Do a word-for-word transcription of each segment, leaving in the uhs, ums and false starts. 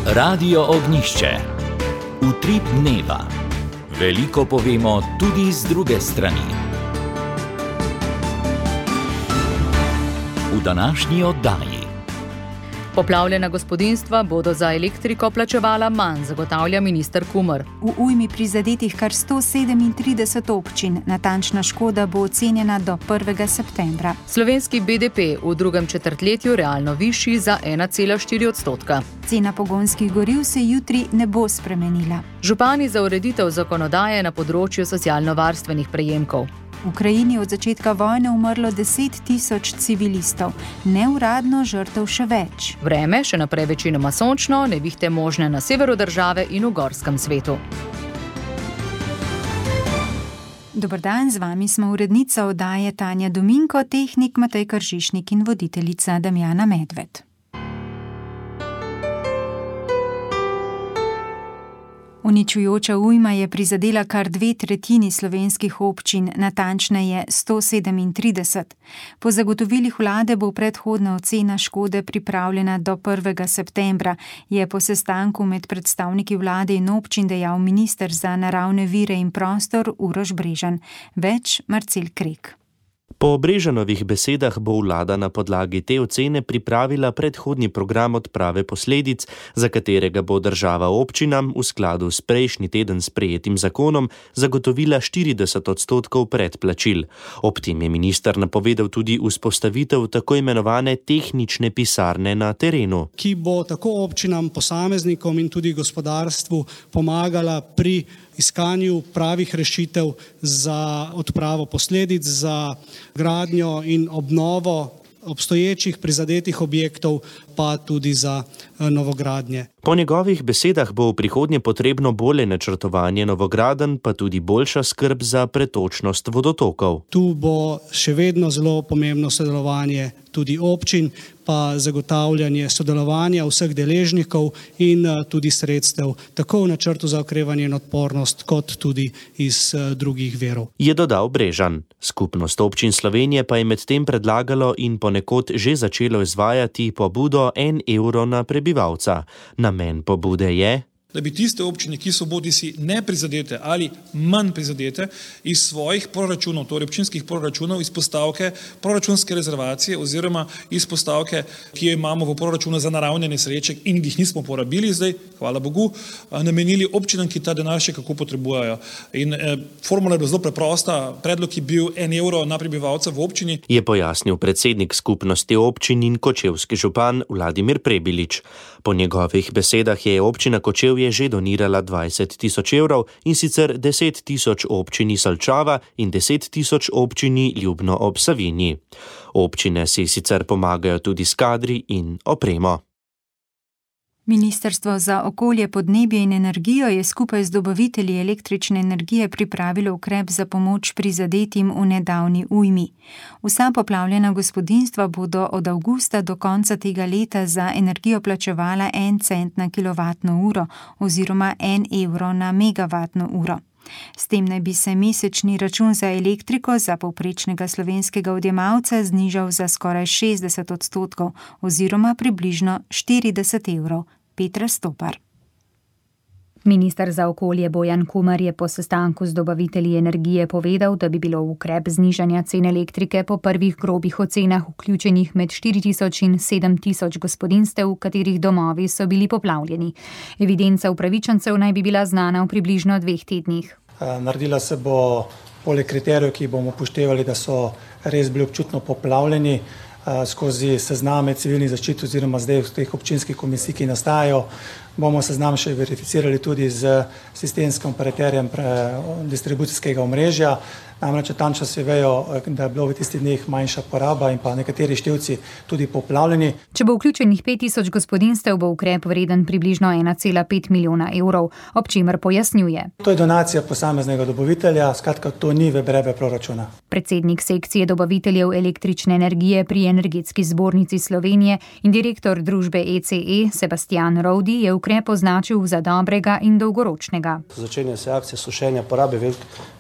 Radio Ognjišče. Utrip dneva. Veliko povemo tudi z druge strani. V današnji oddaji. Poplavljena gospodinjstva bodo za elektriko plačevala manj, zagotavlja minister Kumer. V ujmi prizadetih kar sto sedemintrideset občin, natančna škoda bo ocenjena do prvega septembra. Slovenski B D P v drugem četrtletju realno višji za ena cela štiri odstotka. Cena pogonskih goriv se jutri ne bo spremenila. Župani za ureditev zakonodaje na področju socialno-varstvenih prejemkov. V Ukrajini od začetka vojne umrlo deset tisoč civilistov, neuradno žrtev še več. Vreme še naprej večinoma sončno, nevihte možne na severu države in v gorskem svetu. Dober dan, z vami smo urednica oddaje Tanja Dominko, tehnik Matej Kržišnik in voditeljica Damjana Medved. Uničujoča ujma je prizadela kar dve tretjini slovenskih občin, natančneje sto sedemintrideset. Po zagotovilih vlade bo predhodna ocena škode pripravljena do prvega septembra, je po sestanku med predstavniki vlade in občin dejal minister za naravne vire in prostor Uroš Brežan. Več Marcel Krek. Po Brežanovih besedah bo vlada na podlagi te ocene pripravila predhodni program odprave posledic, za katerega bo država občinam v skladu s prejšnji teden sprejetim zakonom zagotovila štirideset odstotkov predplačil. Ob tem je minister napovedal tudi vzpostavitev tako imenovane tehnične pisarne na terenu, ki bo tako občinam, posameznikom in tudi gospodarstvu pomagala pri iskanju pravih rešitev za odpravo posledic, za gradnjo in obnovo obstoječih prizadetih objektov, pa tudi za novogradnje. Po njegovih besedah bo v prihodnje potrebno bolje načrtovanje novogradenj, pa tudi boljša skrb za pretočnost vodotokov. Tu bo še vedno zelo pomembno sodelovanje tudi občin, pa zagotavljanje sodelovanja vseh deležnikov in tudi sredstev, tako v načrtu za okrevanje in odpornost, kot tudi iz drugih virov. Je dodal Brežan. Skupnost občin Slovenije pa je medtem predlagalo in ponekod že začelo izvajati pobudo en evro na prebivalca. Namen pobude je, da bi tiste občine, ki so bodisi neprizadete ali manj prizadete, iz svojih proračunov, torej občinskih proračunov, iz postavke proračunske rezervacije oziroma iz postavke, ki jo imamo v proračunu za naravne nesreče in jih nismo porabili zdaj, hvala Bogu, namenili občinam, ki ta denar še kako potrebujejo. In eh, formula je bila zelo preprosta, predlog je bil en evro na prebivalca v občini. Je pojasnil predsednik skupnosti občin in kočevski župan Vladimir Prebilič. Po njegovih besedah je občina Kočevje že donirala dvajset tisoč evrov in sicer deset tisoč občini Solčava in deset tisoč občini Ljubno ob Savinji. Občine si sicer pomagajo tudi s kadri in opremo. Ministrstvo za okolje, podnebje in energijo je skupaj z dobavitelji električne energije pripravilo ukrep za pomoč prizadetim v nedavni ujmi. Vsa poplavljena gospodinjstva bodo od avgusta do konca tega leta za energijo plačevala en cent na kilovatno uro oziroma en evro na megavatno uro. S tem naj bi se mesečni račun za elektriko za povprečnega slovenskega odjemalca znižal za skoraj šestdeset odstotkov oziroma približno štirideset evrov. Petra Stopar. Minister za okolje Bojan Kumer je po sestanku z dobavitelji energije povedal, da bi bilo v ukrep znižanja cen elektrike po prvih grobih ocenah vključenih med štiri tisoč in sedem tisoč gospodinjstev, katerih domovi so bili poplavljeni. Evidenca upravičencev naj bi bila znana v približno dveh tednih. Naredila se bo poleg kriterijev, ki bomo upoštevali, da so res bili občutno poplavljeni, skozi sezname civilnih zaščit oziroma zdaj v teh občinskih komisij, ki nastajajo, bomo seznam še verificirali tudi z sistemskim operaterjem distribucijskega omrežja. Namreč natančno se vejo, da je bilo v tistih dneh manjša poraba in pa nekateri števci tudi poplavljeni. Če bo vključenih pet tisoč gospodinjstev, bo ukrep vreden približno ena cela pet milijona evrov, ob čemer pojasnjuje. To je donacija posameznega dobavitelja, skratka to ni v breme proračuna. Predsednik sekcije dobaviteljev električne energije pri Energetski zbornici Slovenije in direktor družbe E C E Sebastian Rovdi je v ukrep označil za dobrega in dolgoročnega. Začenja se akcija sušenja, porabe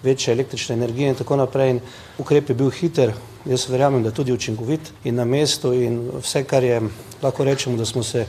večje električne energije in tako naprej. In ukrep je bil hiter, jaz verjamem, da tudi učinkovit in na mestu in vse, kar je, lahko rečemo, da smo se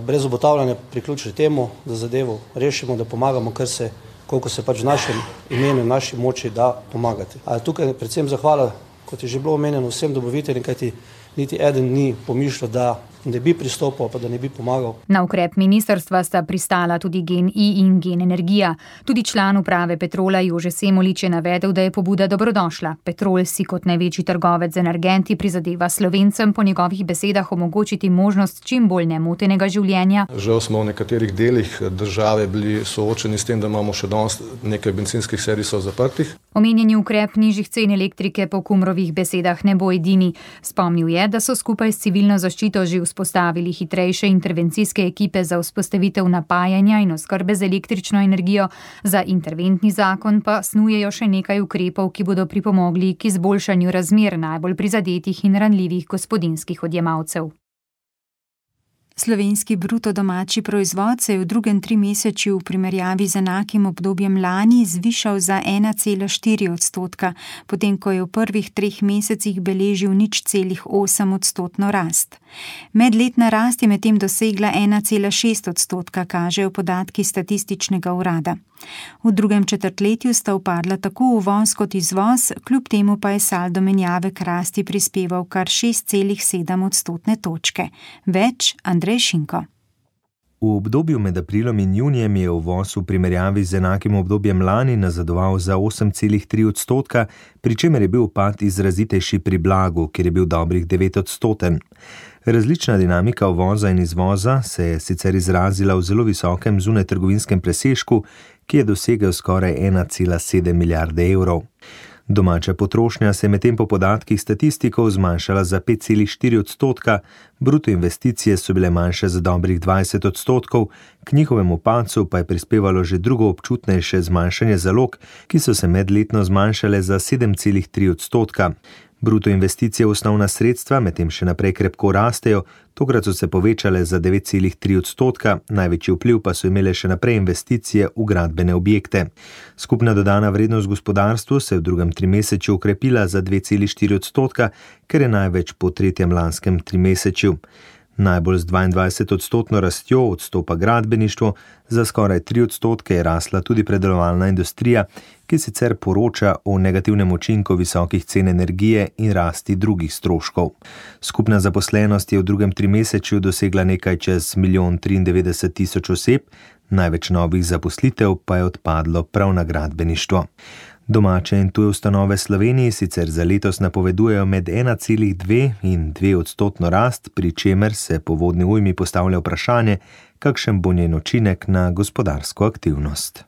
brez obotavljanja priključili temu, da zadevo rešimo, da pomagamo, kar se, koliko se pač v našem imenu in naši moči da pomagati. A tukaj predvsem zahvala, kot je že bilo omenjeno, vsem dobaviteljem, kajti niti eden ni pomišljal, da ne bi pristopil, pa da ne bi pomagal. Na ukrep ministrstva sta pristala tudi GEN-I in GEN Energija. Tudi član uprave Petrola Jože Semolič je navedel, da je pobuda dobrodošla. Petrol si kot največji trgovec z energenti prizadeva Slovencem po njegovih besedah omogočiti možnost čim bolj nemotenega življenja. Žal smo v nekaterih delih države bili soočeni s tem, da imamo še danes nekaj bencinskih servisov zaprtih. Omenjeni ukrep nižjih cen elektrike po Kumrovih besedah ne bo edini. Spomnil je, da so skupaj s civilno zaščito že vzpostavili hitrejše intervencijske ekipe za vzpostavitev napajanja in oskrbe z električno energijo. Za interventni zakon pa snujejo še nekaj ukrepov, ki bodo pripomogli k izboljšanju razmer najbolj prizadetih in ranljivih gospodinjskih odjemalcev. Slovenski bruto domači proizvod se je v drugem trimesečju v primerjavi z enakim obdobjem lani zvišal za ena cela štiri odstotka, potem ko je v prvih treh mesecih beležil nič celih osem odstotno rast. Medletna rast je medtem dosegla ena cela šest odstotka, kažejo podatki statističnega urada. V drugem četrtletju sta upadla tako uvoz kot izvoz, kljub temu pa je saldo menjave k rasti prispeval kar šest celih sedem odstotne točke. Več Andrej Šinko. V obdobju med aprilom in junijem je uvoz v primerjavi z enakim obdobjem lani nazadoval za osem celih tri odstotka, pri čemer je bil upad izrazitejši pri blagu, kjer je bil dobrih devet odstoten. Različna dinamika uvoza in izvoza se je sicer izrazila v zelo visokem zunajtrgovinskem presežku, ki je dosegel skoraj ena cela sedem milijarde evrov. Domača potrošnja se je medtem po podatkih statistikov zmanjšala za pet celih štiri odstotka, bruto investicije so bile manjše za dobrih dvajset odstotkov, k njihovemu padcu pa je prispevalo že drugo občutnejše zmanjšanje zalog, ki so se medletno zmanjšale za sedem celih tri odstotka. Bruto investicije v osnovna sredstva medtem še naprej krepko rastejo, tokrat so se povečale za devet celih tri odstotka, največji vpliv pa so imele še naprej investicije v gradbene objekte. Skupna dodana vrednost gospodarstvu se je v drugem trimesečju okrepila za dve celi štiri odstotka, ker je največ po tretjem lanskem trimesečju. Najbolj z dvaindvajset odstotno rastjo odstopa gradbeništvo, za skoraj tri odstotke je rasla tudi predelovalna industrija, ki sicer poroča o negativnem učinku visokih cen energije in rasti drugih stroškov. Skupna zaposlenost je v drugem trimesečju dosegla nekaj čez milijon triindevetdeset tisoč oseb, največ novih zaposlitev pa je odpadlo prav na gradbeništvo. Domače in tuje ustanove Sloveniji sicer za letos napovedujejo med ena celih dve in dve odstotno rast, pri čemer se po vodni ujmi postavlja vprašanje, kakšen bo njen učinek na gospodarsko aktivnost.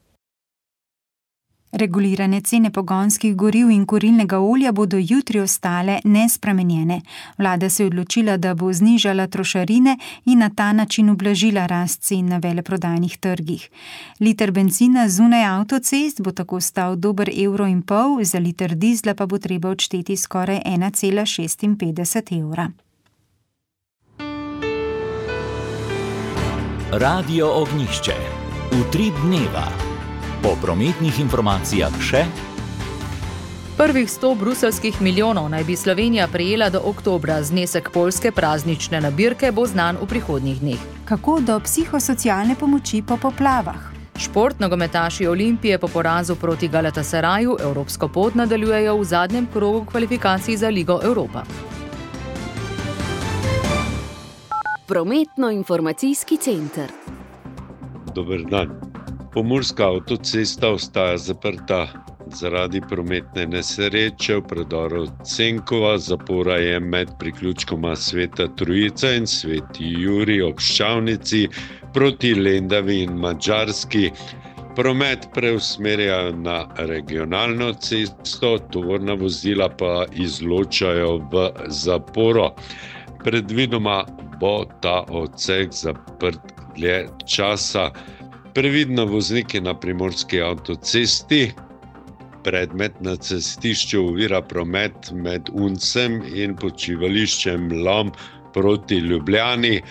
Regulirane cene pogonskih goriv in kurilnega olja bodo jutri ostale nespremenjene. Vlada se je odločila, da bo znižala trošarine in na ta način ublažila rast cen na veleprodajnih trgih. Liter bencina zunaj avtocest bo tako stal dober evro in pol, za liter dizla pa bo treba odšteti skoraj ena cela šestinpetdeset evra. Radio Ognjišče. Utrip dneva. Po prometnih informacijah še. Prvih sto bruseljskih milijonov naj bi Slovenija prejela do oktobra, znesek poljske praznične nabirke bo znan v prihodnjih dneh. Kako do psihosocialne pomoči po poplavah? Šport nogometaši Olimpije po porazu proti Galatasaraju evropsko pot nadaljujejo v zadnjem krogu kvalifikacij za Ligo Evropa. Prometno-informacijski center. Dober dan. Pomurska avtocesta ostaja zaprta zaradi prometne nesreče v predoru Cenkova. Zapora je med priključkoma Sveta Trojica in Sveti Jurij ob Ščavnici proti Lendavi in Madžarski. Promet preusmerjajo na regionalno cesto, tovorna vozila pa izločajo v zaporo. Predvidoma bo ta odsek zaprt dlje časa. Previdno vozniki na primorski avtocesti. Predmet na cestišču ovira promet med Uncem in počivališčem Lom proti Ljubljani.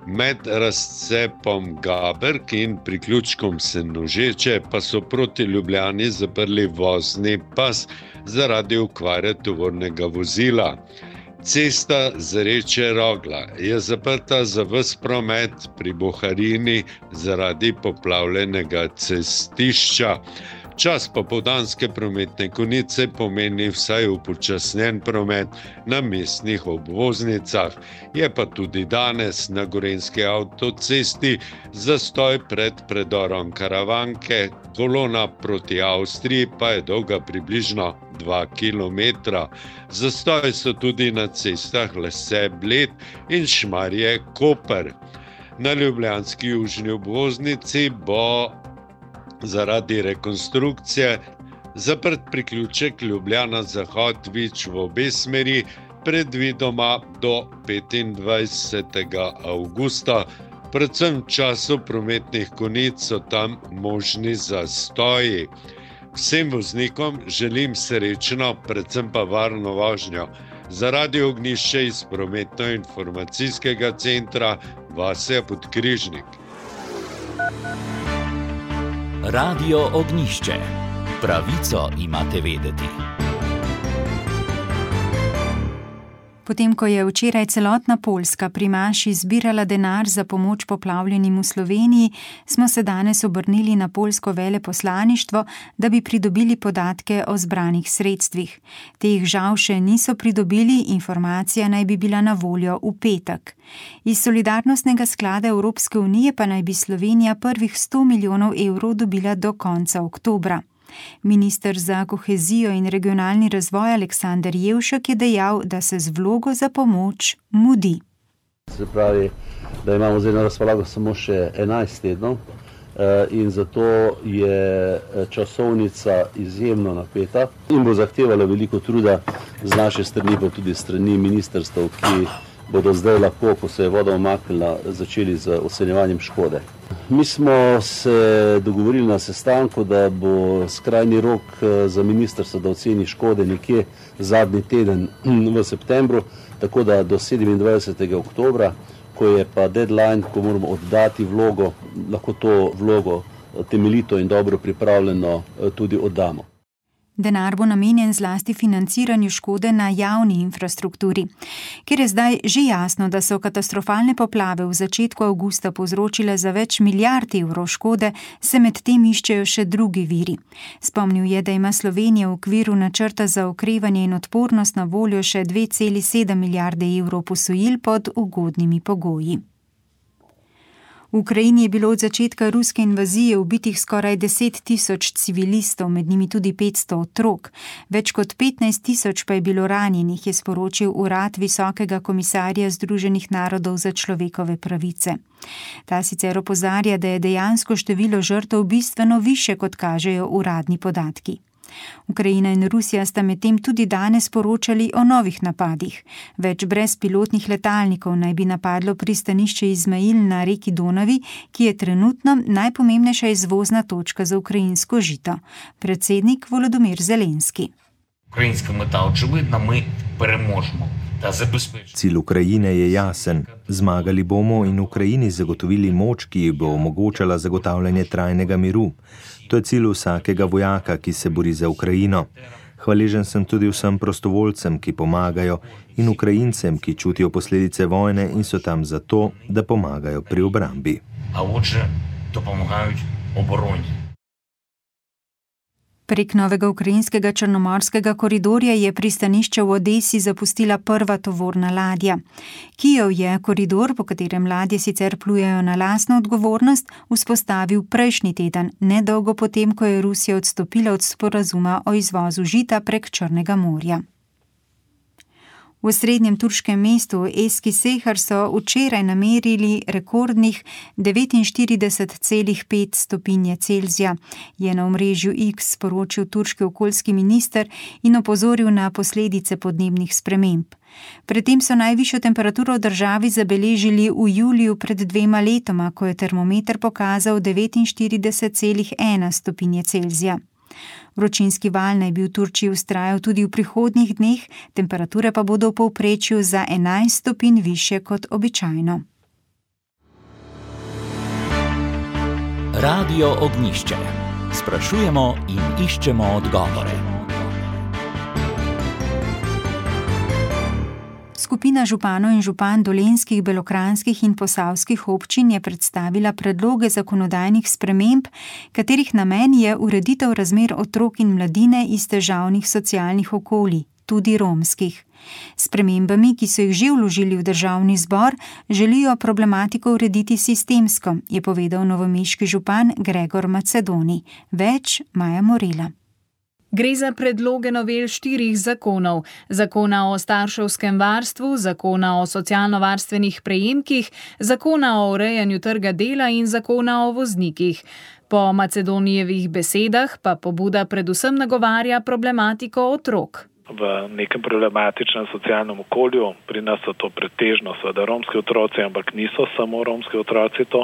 Med razcepom Gaberk in priključkom Senožeče pa so proti Ljubljani zaprli vozni pas zaradi okvare tovornega vozila. Cesta Zreče-Rogla je zaprta za ves promet pri Boharini zaradi poplavljenega cestišča. Čas popoldanske prometne konice pomeni vsaj upočasnjen promet na mestnih obvoznicah. Je pa tudi danes na Gorenjski avtocesti zastoj pred predorom Karavanke, kolona proti Avstriji pa je dolga približno dva kilometra. Zastoj so tudi na cestah Lese-Bled in Šmarje-Koper. Na ljubljanski južni obvoznici bo zaradi rekonstrukcije zaprt priključek Ljubljana-Zahod-Vič v obe smeri, predvidoma do petindvajsetega avgusta. Predvsem v času prometnih konic so tam možni zastoji. Vsem voznikom želim srečno, predvsem pa varno vožnjo. Za Radio Ognjišče iz prometno-informacijskega centra Vasja Podkrižnik. Radio Ognjišče. Pravico imate vedeti. Potem, ko je včeraj celotna Poljska pri maši zbirala denar za pomoč poplavljenim v Sloveniji, smo se danes obrnili na poljsko veleposlaništvo, da bi pridobili podatke o zbranih sredstvih. Teh žal še niso pridobili, informacija naj bi bila na voljo v petek. Iz Solidarnostnega sklada Evropske unije pa naj bi Slovenija prvih sto milijonov evrov dobila do konca oktobra. Minister za kohezijo in regionalni razvoj Aleksander Jevšek je dejal, da se z vlogo za pomoč mudi. Se pravi, da imamo zdaj na razpolago samo še enajst tednov in zato je časovnica izjemno napeta in bo zahtevala veliko truda z naše strani, pa tudi strani ministrstev, ki bodo zdaj lahko, ko se je voda umaknila, začeli z ocenjevanjem škode. Mi smo se dogovorili na sestanku, da bo skrajni rok za ministrstvo, da oceni škode nekje zadnji teden v septembru, tako da do sedemindvajsetega oktobra, ko je pa deadline, ko moramo oddati vlogo, lahko to vlogo temeljito in dobro pripravljeno tudi oddamo. Denar bo namenjen zlasti financiranju škode na javni infrastrukturi. Ker je zdaj že jasno, da so katastrofalne poplave v začetku avgusta povzročile za več milijard evrov škode, se med tem iščejo še drugi viri. Spomnil je, da ima Slovenija v okviru načrta za okrevanje in odpornost na voljo še dve celi sedem milijarde evrov posojil pod ugodnimi pogoji. V Ukrajini je bilo od začetka ruske invazije ubitih skoraj deset tisoč civilistov, med njimi tudi petsto otrok. Več kot petnajst tisoč pa je bilo ranjenih, je sporočil urad Visokega komisarja Združenih narodov za človekove pravice. Ta sicer opozarja, da je dejansko število žrtev bistveno više, kot kažejo uradni podatki. Ukrajina in Rusija sta medtem tudi danes poročali o novih napadih. Več brezpilotnih letalnikov naj bi napadlo pristanišče Izmail na reki Donavi, ki je trenutno najpomembnejša izvozna točka za ukrajinsko žito. Predsednik Volodymyr Zelenski. Ukrajinska meta očividna, mi premožemo. Cilj Ukrajine je jasen. Zmagali bomo in Ukrajini zagotovili moč, ki bo omogočala zagotavljanje trajnega miru. To je cilj vsakega vojaka, ki se bori za Ukrajino. Hvaležen sem tudi vsem prostovoljcem, ki pomagajo, in Ukrajincem, ki čutijo posledice vojne in so tam zato, da pomagajo pri obrambi. A отже, допомагають обороні. Prek novega ukrajinskega črnomorskega koridorja je pristanišče v Odesi zapustila prva tovorna ladja. Kijev je koridor, po katerem ladje sicer plujejo na lastno odgovornost, vzpostavil prejšnji teden, nedolgo potem, ko je Rusija odstopila od sporazuma o izvozu žita prek Črnega morja. V srednjem turškem mestu Eskişehir so včeraj namerili rekordnih devetinštirideset celih pet stopinje Celzija, je na omrežju X sporočil turški okoljski minister in opozoril na posledice podnebnih sprememb. Predtem so najvišjo temperaturo v državi zabeležili v juliju pred dvema letoma, ko je termometer pokazal devetinštirideset celih ena stopinje Celzija. Vročinski val naj bi v Turčiji vztrajal tudi v prihodnjih dneh, temperature pa bodo v povprečju za enajst stopinj višje kot običajno. Radio Ognjišče. Sprašujemo in iščemo odgovore. Skupina županov in župan dolenjskih, belokranjskih in posavskih občin je predstavila predloge zakonodajnih sprememb, katerih namen je ureditev razmer otrok in mladine iz težavnih socialnih okolij, tudi romskih. S spremembami, ki so jih že vložili v državni zbor, želijo problematiko urediti sistemsko, je povedal novomeški župan Gregor Macedoni. Več Maja Morela. Gre za predloge novel štirih zakonov. Zakona o starševskem varstvu, zakona o socialno-varstvenih prejemkih, zakona o urejanju trga dela in zakona o voznikih. Po Macedonijevih besedah pa pobuda predvsem nagovarja problematiko otrok. V nekem problematičnem socialnem okolju, pri nas so to pretežno seveda romski otroci, ampak niso samo romski otroci to,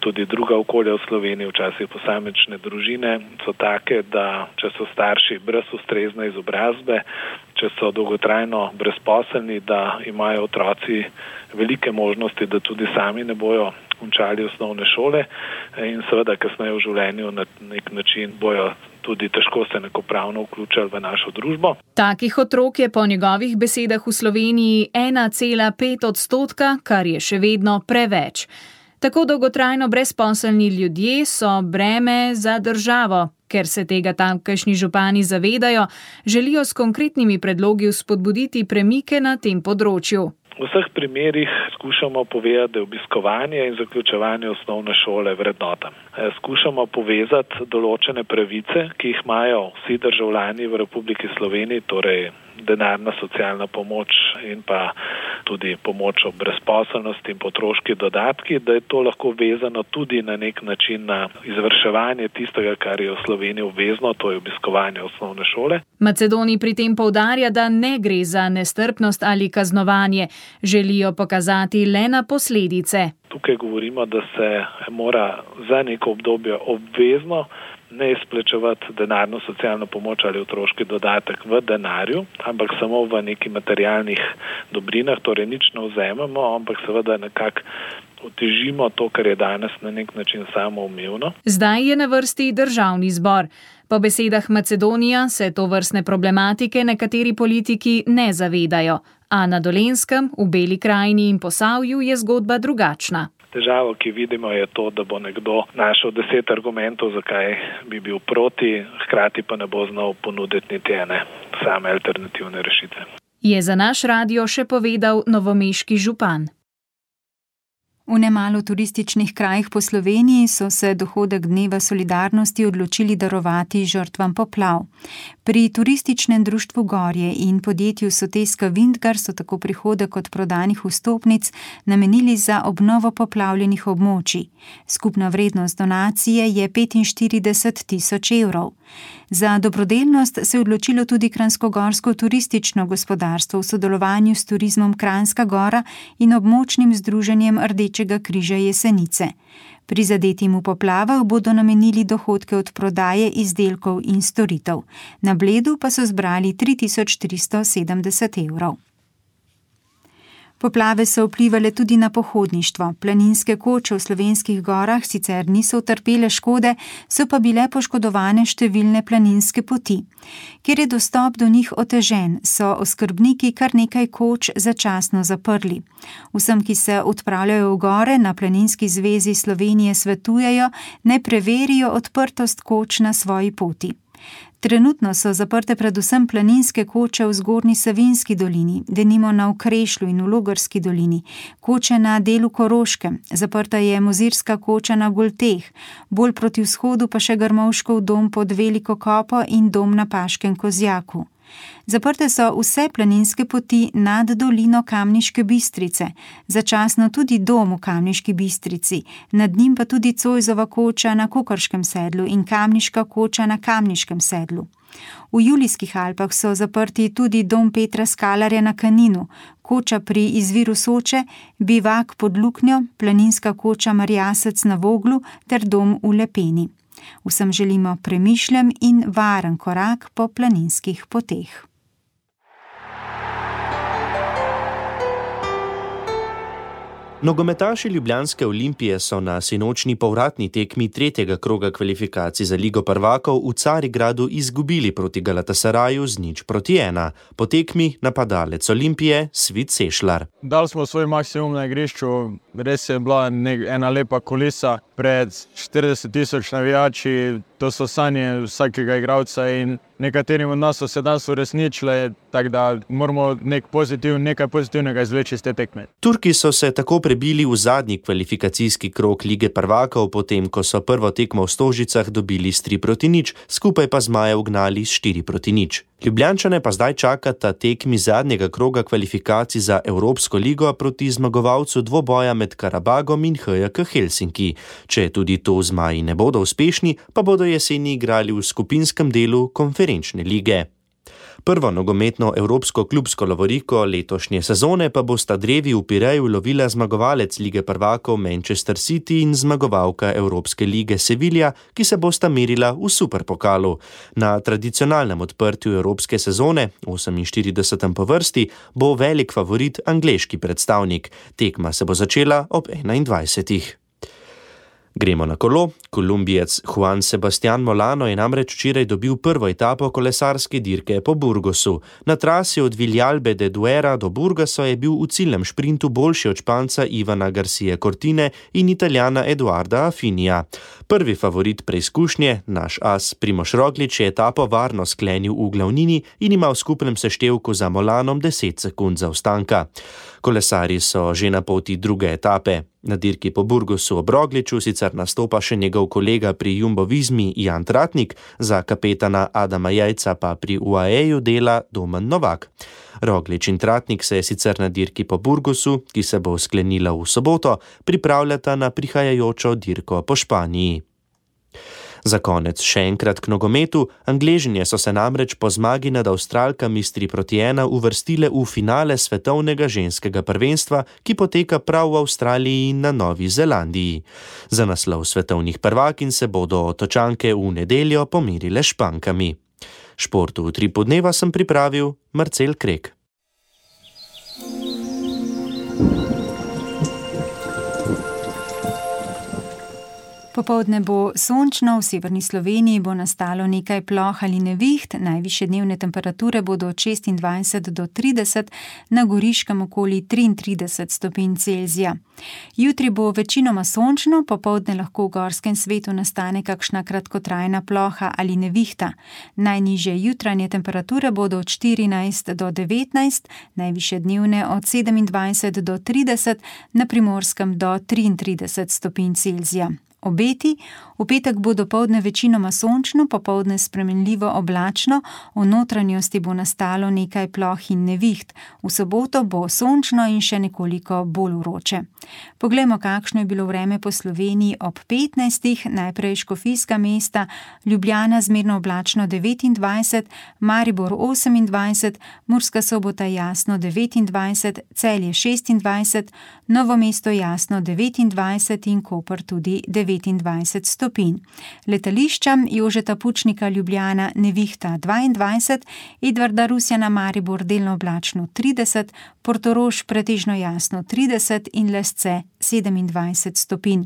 tudi druga okolja v Sloveniji, včasih posamične družine so take, da če so starši brez ustrezne izobrazbe, če so dolgotrajno brezposelni, da imajo otroci velike možnosti, da tudi sami ne bojo končali osnovne šole in seveda kasneje v življenju na nek način bojo tudi težko se enakopravno vključili v našo družbo. Takih otrok je po njegovih besedah v Sloveniji ena cela pet odstotka, kar je še vedno preveč. Tako dolgotrajno brezposelni ljudje so breme za državo. Ker se tega tamkajšnji župani zavedajo, želijo s konkretnimi predlogi vzpodbuditi premike na tem področju. V vseh primerih skušamo povedati, da je obiskovanje in zaključevanje osnovne šole vrednota. Skušamo povezati določene pravice, ki jih imajo vsi državljani v Republiki Sloveniji, torej denarna socialna pomoč in pa tudi pomoč ob brezposelnosti in potroški dodatki, da je to lahko vezano tudi na nek način na izvrševanje tistega, kar je v Sloveniji obvezno, to je obiskovanje osnovne šole. Macedoni pri tem poudarja, da ne gre za nestrpnost ali kaznovanje, želijo pokazati le na posledice. Tukaj govorimo, da se mora za neko obdobje obvezno ne izplačevati denarno socialno pomoč ali otroški dodatek v denarju, ampak samo v neki materialnih dobrinah, torej nič ne vzememo, ampak seveda nekako otežimo to, kar je danes na nek način samoumevno. Zdaj je na vrsti državni zbor. Po besedah Macedonija se tovrstne problematike nekateri politiki ne zavedajo, a na Dolenjskem, v Beli krajini in Posavju je zgodba drugačna. Težavo, ki vidimo, je to, da bo nekdo našel deset argumentov, zakaj bi bil proti, hkrati pa ne bo znal ponuditi niti ene same alternativne rešitve. Je za naš radio še povedal novomeški župan. V nemalo turističnih krajih po Sloveniji so se dohodek Dneva solidarnosti odločili darovati žrtvam poplav. Pri turističnem društvu Gorje in podjetju Soteska Vintgar so tako prihodek od prodanih vstopnic namenili za obnovo poplavljenih območij. Skupna vrednost donacije je petinštirideset tisoč evrov. Za dobrodelnost se je odločilo tudi Kranjskogorsko turistično gospodarstvo v sodelovanju s Turizmom Kranjska Gora in območnim združenjem Rdečega križa Jesenice. Prizadetim v poplavah bodo namenili dohodke od prodaje izdelkov in storitev. Na Bledu pa so zbrali tri tisoč tristo sedemdeset evrov. Poplave so vplivale tudi na pohodništvo. Planinske koče v slovenskih gorah sicer niso utrpele škode, so pa bile poškodovane številne planinske poti. Ker je dostop do njih otežen, so oskrbniki kar nekaj koč začasno zaprli. Vsem, ki se odpravljajo v gore, na Planinski zvezi Slovenije svetujejo, naj preverijo odprtost koč na svoji poti. Trenutno so zaprte predvsem planinske koče v Zgornji Savinjski dolini, denimo na Okrešlju in v Logarski dolini, koče na delu Koroškem, zaprta je Mozirska koča na Golteh, bolj proti vzhodu pa še Grmovškov dom pod Veliko Kopo in dom na Paškem Kozjaku. Zaprte so vse planinske poti nad dolino Kamniške Bistrice, začasno tudi dom v Kamniški Bistrici, nad njim pa tudi Cojzova koča na Kokorškem sedlu in Kamniška koča na Kamniškem sedlu. V Julijskih Alpah so zaprti tudi dom Petra Skalarja na Kaninu, koča pri izviru Soče, bivak pod Luknjo, planinska koča Marjasec na Voglu ter dom v Lepeni. Vsem želimo premišljen in varen korak po planinskih poteh. Nogometaši ljubljanske Olimpije so na sinočni povratni tekmi tretjega kroga kvalifikacij za Ligo prvakov v Carigradu izgubili proti Galatasaraju z nič proti ena. Po tekmi napadalec Olimpije Svit Sešlar. Dali smo svoj maksimum na igrišču, res je bila ena lepa kulisa pred štirideset tisoč navijači, to so sanje vsakega igralca in nekaterim od nas so se danes uresničile, tako da moramo nek pozitiv, nekaj pozitivnega izvleči iz te tekme. Turki so se tako prebili v zadnji kvalifikacijski krog Lige prvakov, potem ko so prvo tekmo v Stožicah dobili s tri proti nič, skupaj pa Zmaje ugnali s štiri proti nič. Ljubljančane pa zdaj čakata tekmi zadnjega kroga kvalifikacij za Evropsko ligo proti zmagovalcu dvoboja med Karabagom in H J K Helsinki. Če tudi to Zmaji ne bodo uspešni, pa bodo jeseni igrali v skupinskem delu konferenčne lige. Prvo nogometno evropsko klubsko lovoriko letošnje sezone pa bosta drevi v Pireju lovila zmagovalec Lige prvakov Manchester City in zmagovalka Evropske lige Sevilla, ki se bosta merila v superpokalu. Na tradicionalnem odprtju evropske sezone, oseminštiridesetem po vrsti, bo velik favorit angleški predstavnik. Tekma se bo začela ob enaindvajsetih. Gremo na kolo. Kolumbijec Juan Sebastián Molano je namreč včeraj dobil prvo etapo kolesarske dirke po Burgosu. Na trasi od Villalbe de Duera do Burgosa je bil v ciljnem šprintu boljši od Španca Ivana Garcia Cortine in Italijana Eduarda Affinija. Prvi favorit preizkušnje, naš as Primož Roglič, je etapo varno sklenil v glavnini in ima v skupnem seštevku za Molanom deset sekund zaostanka. Kolesarji so že na poti druge etape. Na dirki po Burgosu ob Rogliču sicer nastopa še njegov kolega pri Jumbo Vismi Jan Tratnik, za kapetana Adama Jajca pa pri U A E-ju dela Domen Novak. Roglič in Tratnik se je sicer na dirki po Burgosu, ki se bo sklenila v soboto, pripravljata na prihajajočo dirko po Španiji. Za konec še enkrat k nogometu. Angležinje so se namreč po zmagi nad Avstralkami s tri proti ena uvrstile v finale svetovnega ženskega prvenstva, ki poteka prav v Avstraliji in na Novi Zelandiji. Za naslov svetovnih prvakinj se bodo Otočanke v nedeljo pomirile s Špankami. Športu v Utripu dneva sem pripravil Marcel Krek. Popoldne bo sončno, v severni Sloveniji bo nastalo nekaj ploh ali neviht, najvišje dnevne temperature bodo od šestindvajset do trideset, na Goriškem okoli triintrideset stopinj Celzija. Jutri bo večinoma sončno, popoldne lahko v gorskem svetu nastane kakšna kratkotrajna ploha ali nevihta. Najnižje jutranje temperature bodo od štirinajst do devetnajst, najvišje dnevne od sedemindvajset do trideset, na Primorskem do triintrideset stopinj Celzija. Obeti: v petek bo dopoldne večinoma sončno, popoldne spremenljivo oblačno, v notranjosti bo nastalo nekaj ploh in neviht. V soboto bo sončno in še nekoliko bolj vroče. Poglejmo, kakšno je bilo vreme po Sloveniji ob petnajstih. Najprej Škofijska mesta, Ljubljana zmerno oblačno devetindvajset, Maribor osemindvajset, Murska Sobota jasno devetindvajset, Celje šestindvajset, Novo mesto jasno devetindvajset in Koper tudi devetindvajset stopinj. Letališča: Jožeta Pučnika Ljubljana nevihta dvaindvajset, Edvarda Rusjana Maribor delno oblačno trideset, Portorož pretežno jasno trideset in Lesce sedemindvajset stopinj.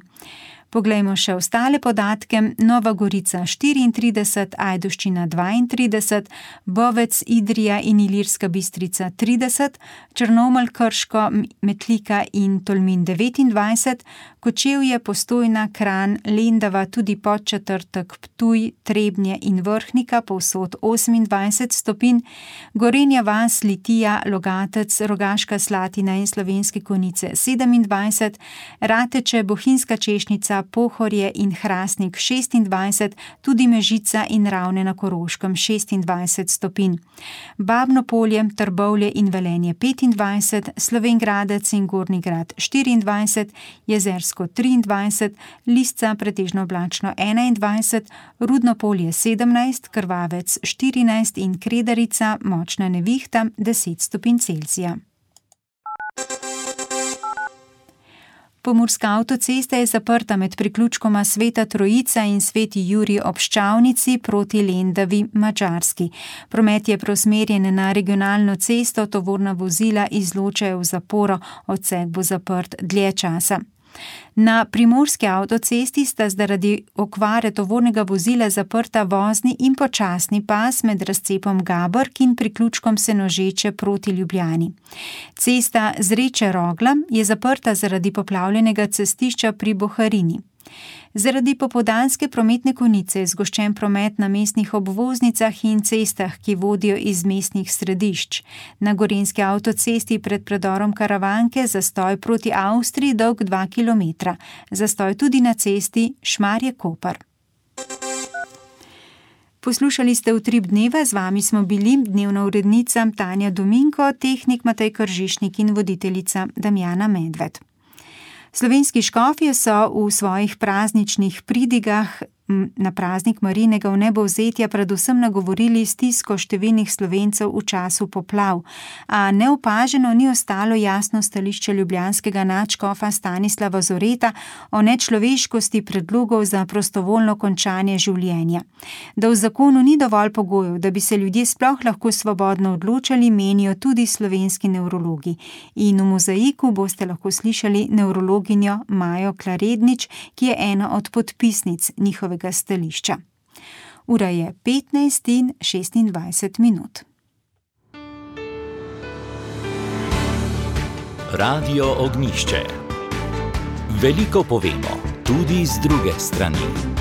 Poglejmo še ostale podatke. Nova Gorica štiriintrideset, Ajdovščina dvaintrideset, Bovec, Idrija in Ilirska Bistrica trideset, Črnomelj, Krško, Metlika in Tolmin devetindvajset, Kočevje, Postojna, Kranj, Lendava, tudi Podčetrtek, Ptuj, Trebnje in Vrhnika povsod osemindvajset stopinj, Gorenja vas, Litija, Logatec, Rogaška Slatina in Slovenske Konjice sedemindvajset, Rateče, Bohinjska Češnica, Pohorje in Hrastnik šestindvajset, tudi Mežica in Ravne na Koroškem šestindvajset stopinj. Babno Polje, Trbovlje in Velenje petindvajset, Slovenj Gradec in Gornji Grad štiriindvajset, Jezersko triindvajset, Lisca pretežno oblačno enaindvajset, Rudno Polje sedemnajst, Krvavec štirinajst in Kredarica močna nevihta deset stopinj Celzija. Pomurska avtocesta je zaprta med priključkoma Sveta Trojica in Sveti Jurij ob Ščavnici proti Lendavi, Madžarski. Promet je preusmerjen na regionalno cesto, tovorna vozila izločajo v zaporo, odsek bo zaprt dlje časa. Na primorski avtocesti sta zaradi okvare tovornega vozila zaprta vozni in počasni pas med razcepom Gabrk in priključkom Senožeče proti Ljubljani. Cesta Zreče-Rogla je zaprta zaradi poplavljenega cestišča pri Boharini. Zaradi popoldanske prometne konice je zgoščen promet na mestnih obvoznicah in cestah, ki vodijo iz mestnih središč. Na gorenjski avtocesti pred predorom Karavanke zastoj proti Avstriji dolg dva kilometra. Zastoj tudi na cesti Šmarje-Koper. Poslušali ste Utrip dneva, z vami smo bili dnevna urednica Tanja Dominko, tehnik Matej Kržišnik in voditeljica Damjana Medved. Slovenski škofje so v svojih prazničnih pridigah na praznik Marijinega vnebovzetja predvsem nagovorili stisko številnih Slovencev v času poplav, a neopaženo ni ostalo jasno stališče ljubljanskega nadškofa Stanislava Zoreta o nečloveškosti predlogov za prostovoljno končanje življenja. Da v zakonu ni dovolj pogojev, da bi se ljudje sploh lahko svobodno odločali, menijo tudi slovenski nevrologi. In v Mozaiku boste lahko slišali nevrologinjo Majo Klarednič, ki je ena od podpisnic njihovega stališča. Ura je petnajst in šestindvajset minut. Radio Ognjišče. Veliko povemo, tudi z druge strani.